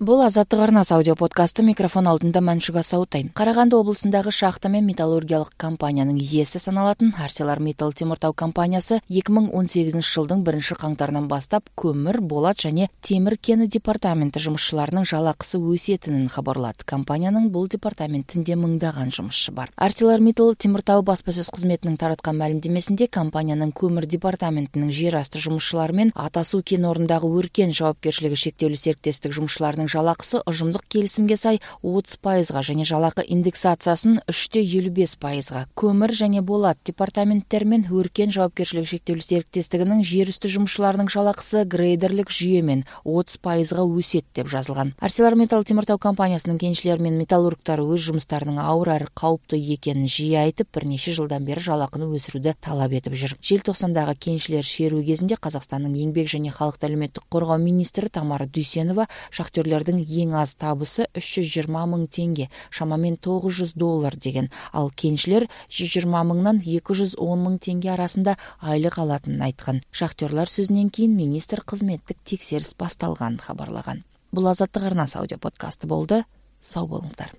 Бул Азаттык арнасы аудио подкасты. Микрофон алдында Маншуга Саутай. Караганды облусундагы шахта мен металлургиялык компаниянын ээси саналатын ArcelorMittal темиртау компаниясы 2018 жылдын 1-каңтарынан баштап көмүр, болот жана темир кени департаменти жумушчуларынын жалакысы өсетинин кабарлады. Компаниянын бул департаментинде мыңдаган жумушчу бар. ArcelorMittal темиртау баспасөз кызметинин тараткан маалимдемесинде компаниянын көмүр департаментинин жер асты жумушчулары мен Ата суу кен орнундагы Өркен жоопкерчилиги шектелүү сериктестик жумушчуларынын жалакысы ожумдук келисимге сай 30% жана жалакы индексациясын 3,55%. Көмүр жана болот департаменттери мен Өркен жоопкерчилиги шектелүү сериктестигинин жер үстү жумушчуларынын жалакысы грейдерлик жүйө менен 30% өсөт деп жазылган. ArcelorMittal темиртау компаниясынын кенчилери менен металлургтары өз жумуштарынын ауыр әрі кауптуу экенин жиі айтып, бир нече жылдан бери жалакыны өсүрүүдө талап этип жүр. Желтоқсандагы кенчилер шерүү кезинде Казакстандын эмгек жана калкты алиметтик коргоо министри Тамара Дүйсенова шахтерлердин эң аз табысы 320 миң теңге, шамамен $900 деген. Ал кенчилер 120 миңнан 210 миң теңге арасында айлык алатынын айткан. Шахтерлар сөзүнөн кийин министр кызметтик текшерис башталганын кабарлаган. Бул Азаттык арнасы аудио подкасты болду. Сау болуңуздар.